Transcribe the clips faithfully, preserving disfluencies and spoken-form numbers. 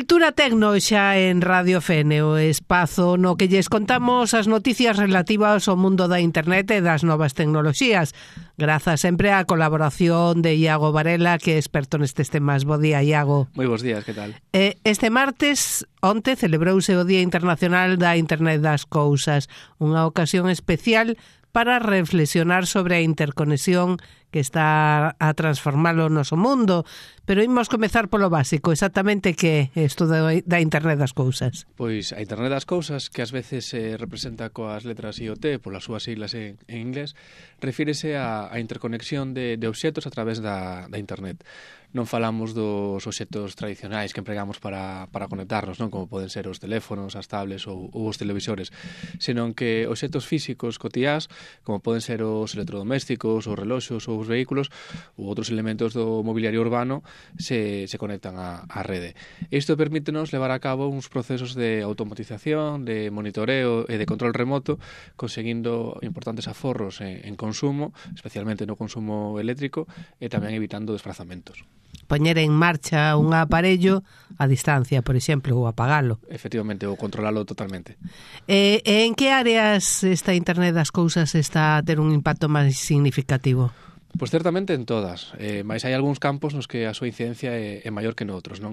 Cultura Tecno xa en Radio Fene, o espazo no que lles contamos as noticias relativas ao mundo da internet e das novas tecnoloxías. Grazas sempre á colaboración de Iago Varela, que é experto nestes temas. Bo día, Iago. Moi bons días, que tal? Eh, este martes, onte, celebrouse o Día Internacional da Internet das Cousas, unha ocasión especial para reflexionar sobre a interconexión que está a transformar o noso mundo. Pero imos comezar polo básico, exactamente que é isto da Internet das Cousas. Pois a Internet das Cousas, que ás veces se representa coas letras I O T, polas súas siglas en, en inglés, refírese a, a interconexión de, de obxetos a través da, da Internet. Non falamos dos obxetos tradicionais que empregamos para, para conectarnos, non, como poden ser os teléfonos, as tablets ou, ou os televisores, senón que obxetos físicos cotiás, como poden ser os electrodomésticos, os reloxos ou os vehículos ou outros elementos do mobiliario urbano, se, se conectan á, á rede. Isto permítenos levar a cabo uns procesos de automatización, de monitoreo e de control remoto, conseguindo importantes aforros en, en consumo, especialmente no consumo eléctrico, e tamén evitando desplazamentos. Poñer en marcha un aparello a distancia, por exemplo, ou apagalo. Efectivamente, ou controlalo totalmente. E, e en que áreas esta Internet das Cousas está a ter un impacto máis significativo? Pois certamente en todas, eh, mas hai algúns campos nos que a súa incidencia é, é maior que noutros, non?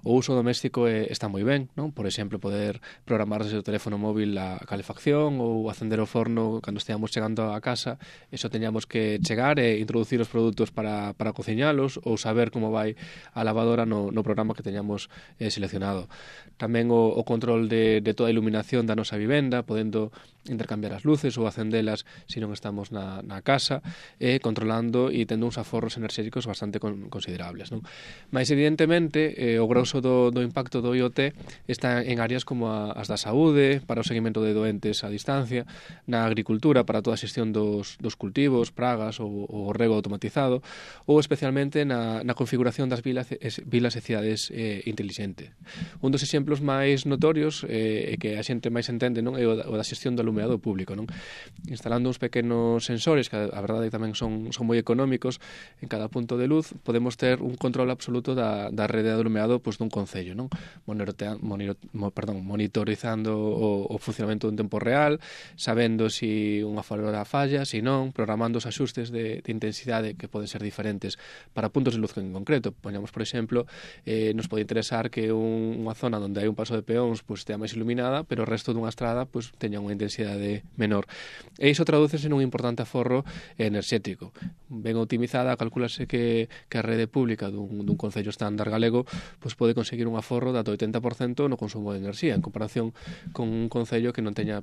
O uso doméstico é, está moi ben, non? Por exemplo, poder programar desde o teléfono móvil a calefacción ou acender o forno cando esteamos chegando a casa, eso teñamos que chegar e introducir os produtos para, para cociñalos ou saber como vai a lavadora no, no programa que teñamos eh, seleccionado. Tamén o, o control de, de toda a iluminación da nosa vivenda, podendo intercambiar as luces ou acendelas se non estamos na, na casa, e controlando e tendo uns aforros enerxéticos bastante con, considerables, non? Mais evidentemente eh, o grosso do, do impacto do I O T está en áreas como a, as da saúde, para o seguimento de doentes a distancia, na agricultura para toda a xestión dos, dos cultivos, pragas ou o rego automatizado, ou especialmente na, na configuración das vilas, es, vilas e cidades eh, inteligente. Un dos exemplos máis notorios eh, e que a xente máis entende, non, é o da, o da xestión do alumeado público, non? Instalando uns pequenos sensores que a verdade tamén son, son moi económicos en cada punto de luz, podemos ter un control absoluto da, da rede de alumeado pois, dun concello, non? Monitoreando, moniro, mo, perdón, monitorizando o, o funcionamento en tempo real, sabendo si unha farola falla, si non, programando os axustes de, de intensidade que poden ser diferentes para puntos de luz en concreto. Poñamos, por exemplo, eh, nos pode interesar que un, unha zona onde hai un paso de peóns pois, estea máis iluminada, pero o resto dunha estrada pois, teña unha intensidade menor. E iso tradúcese nun importante aforro enerxético. Ben optimizada, calculase que, que a rede pública dun, dun concello estándar galego pois pode conseguir un aforro de ata oitenta por cento no consumo de enerxía, en comparación con un concello que non teña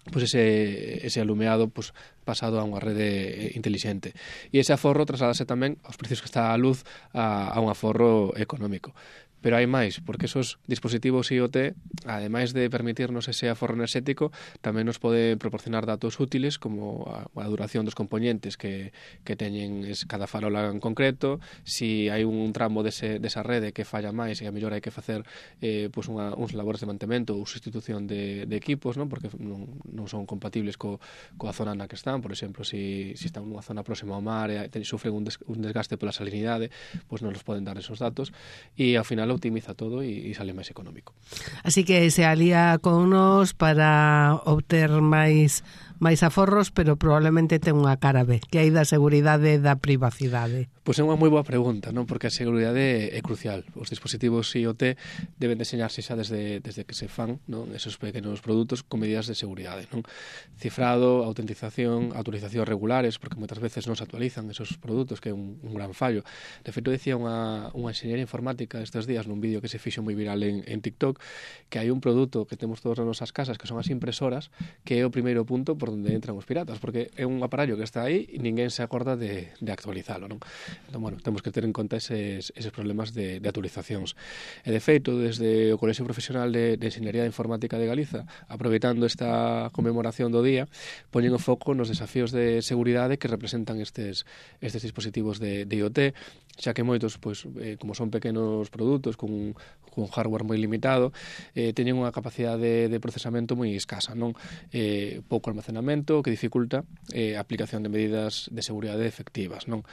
pois ese, ese alumeado pois, pasado a unha rede intelixente. E ese aforro trasladase tamén aos precios que está a luz a, a un aforro económico. Pero hai máis, porque esos dispositivos I O T, ademais de permitirnos ese aforro enerxético, tamén nos pode proporcionar datos útiles como a, a duración dos componentes que, que teñen cada farola en concreto, si hai un tramo dese, desa rede que falla máis e a mellor hai que facer eh, pues unha, uns labores de mantemento ou sustitución de, de equipos, non? Porque non, non son compatibles co, coa zona na que están, por exemplo, si, si están nunha zona próxima ao mar e sufren un, des, un desgaste pola salinidade, pues non nos poden dar esos datos e ao final optimiza todo e, e sale máis económico. Así que se alía con nos para obter máis máis aforros, pero probablemente ten unha cara B, que hai da seguridade e da privacidade. Pois é unha moi boa pregunta, non? Porque a seguridade é crucial. Os dispositivos I O T deben deseñarse xa desde, desde que se fan, non? Esos pequenos produtos con medidas de seguridade, non? Cifrado, autentización, autorizacións regulares, porque moitas veces non se actualizan esos produtos, que é un, un gran fallo. De feito, decía unha, unha enxeñeira informática estes días nun vídeo que se fixo moi viral en, en TikTok, que hai un produto que temos todos nas nosas casas, que son as impresoras, que é o primeiro punto por onde entran os piratas, porque é un aparello que está aí e ninguén se acorda de, de actualizalo, non? Entón, bueno, temos que ter en conta eses, eses problemas de, de actualizacións. E, de feito, desde o Colexio Profesional de, de Enxeñería Informática de Galiza, aproveitando esta conmemoración do día, poñen o foco nos desafíos de seguridade que representan estes, estes dispositivos de, de I O T, xa que moitos, pois, eh, como son pequenos produtos con, con hardware moi limitado, eh, teñen unha capacidade de procesamento moi escasa, non? Eh, pouco almacenamento que dificulta eh, a aplicación de medidas de seguridade efectivas, non?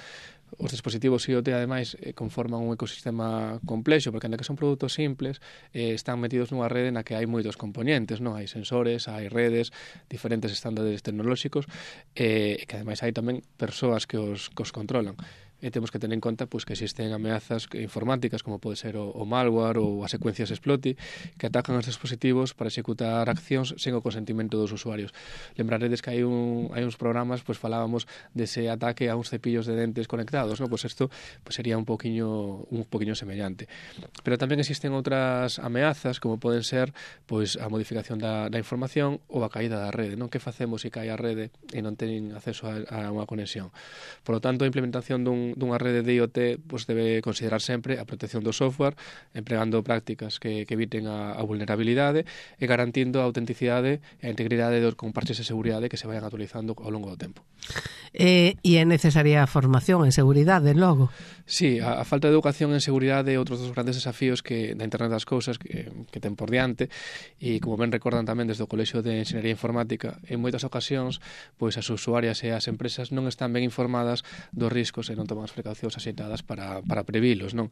os dispositivos IoT, ademais, eh, conforman un ecosistema complexo, porque ainda que son produtos simples, eh, están metidos nunha rede na que hai moitos componentes, non? Hai sensores, hai redes, diferentes estándares tecnolóxicos, e eh, que ademais hai tamén persoas que os, que os controlan. E temos que tener en conta pues, que existen ameazas informáticas como pode ser o, o malware ou as secuencias exploit que atacan os dispositivos para executar accións sen o consentimento dos usuarios. Lembraredes que hai, un, hai uns programas, pues falábamos dese ataque a uns cepillos de dentes conectados, ¿no? Pues isto pues sería un poquinho un poquinho semellante. Pero tamén existen outras ameazas como poden ser pues a modificación da, da información ou a caída da rede, non? Que facemos se cae a rede e non ten acceso a, a unha conexión? Por lo tanto, a implementación dun dunha rede de IoT pues, debe considerar sempre a protección do software, empregando prácticas que, que eviten a, a vulnerabilidade e garantindo a autenticidade e a integridade dos comparches de seguridade que se vayan actualizando ao longo do tempo. Eh, e é necesaria a formación en seguridade, logo? Sí, a, a falta de educación en seguridade é outro dos grandes desafíos que da Internet das Cousas que, que ten por diante, e como ben recordan tamén desde o Colexio de Enxeñería Informática, en moitas ocasións pois as usuarias e as empresas non están ben informadas dos riscos e non toman as precaucións axeitadas para, para previlos, non?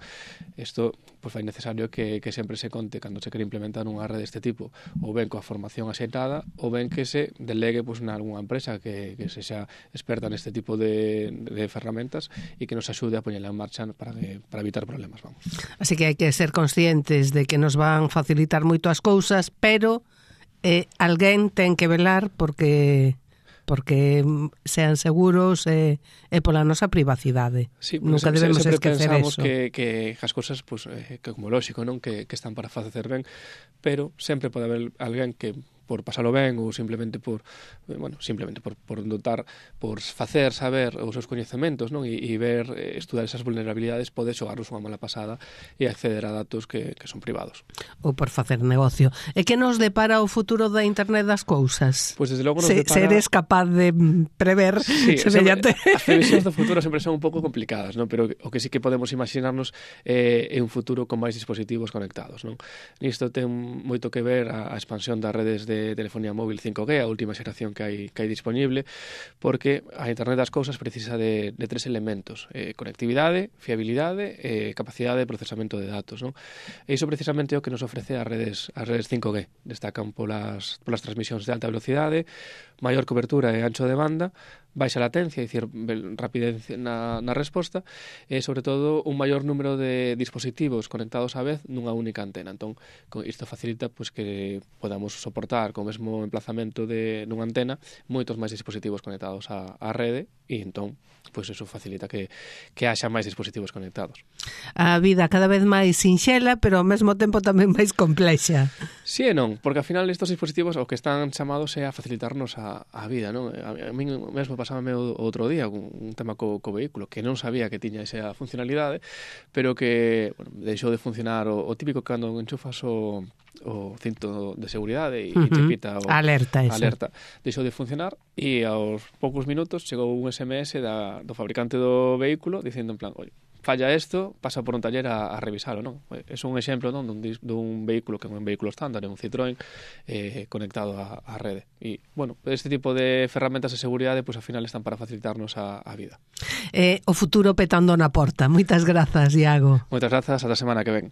Isto pois fai necesario que, que sempre se conte cando se quere implementar unha rede deste tipo, ou ben coa formación axeitada, ou ben que se delegue pois, na algunha empresa que, que se xa experta neste tipo de, de ferramentas e que nos axude a poñela en marcha para, que, para evitar problemas, vamos. Así que hai que ser conscientes de que nos van facilitar moito as cousas, pero eh, alguén ten que velar porque porque sean seguros e, e pola nosa privacidade. Sí, nunca debemos sempre esquecer pensamos eso. Que, que as cousas, pues, eh, que como lógico, non que, que están para facer ben, pero sempre pode haber alguén que por pasalo ben ou simplemente por bueno, simplemente por, por notar, por facer saber os seus coñecementos, non? E, e ver, eh, estudar esas vulnerabilidades pode xogarnos unha mala pasada e acceder a datos que, que son privados. Ou por facer negocio. E que nos depara o futuro da Internet das cousas? Pois pues desde logo nos Se, depara... Se eres capaz de prever sí, semellante... As previsións do futuro sempre son un pouco complicadas, non? Pero o que sí que podemos imaginarnos é, é un futuro con máis dispositivos conectados, non? Nisto ten moito que ver a, a expansión das redes de de telefonía móvil cinco G, a última xeración que hai, que hai disponible, porque a Internet das Cousas precisa de, de tres elementos: eh, conectividade, fiabilidade e eh, capacidade de procesamento de datos, non? E iso precisamente é o que nos ofrece as redes, as redes cinco G. Destacan polas, polas transmisións de alta velocidade, maior cobertura e ancho de banda, baixa latencia, é dicir, rapidez na, na resposta, e, sobre todo, un maior número de dispositivos conectados á vez nunha única antena. Entón, isto facilita pues, que podamos soportar co mesmo emplazamento de nunha antena moitos máis dispositivos conectados á, á rede, e entón, pois eso facilita que, que haxa máis dispositivos conectados. A vida cada vez máis sinxela, pero ao mesmo tempo tamén máis complexa. Si e non, porque ao final estos dispositivos o que están chamados é a facilitarnos a, a vida, non? A, a mí mesmo pasábame o outro día un, un tema co, co vehículo que non sabía que tiña esa funcionalidade, pero que bueno, deixou de funcionar o, o típico cando enchufas o o cinto de seguridade e uh -huh. te pita o alerta, alerta. Deixou de funcionar e aos poucos minutos chegou un S M S da, do fabricante do vehículo dicindo en plan, oi, falla isto, pasa por un taller a, a revisalo, non? É un exemplo, non, dun, dun vehículo que é un vehículo estándar, un Citroën eh, conectado á, á rede. E, bueno, este tipo de ferramentas de seguridade, pois, pues, ao final están para facilitarnos a, a vida. Eh, o futuro petando na porta. Moitas grazas, Iago. Moitas grazas, ata a semana que ven.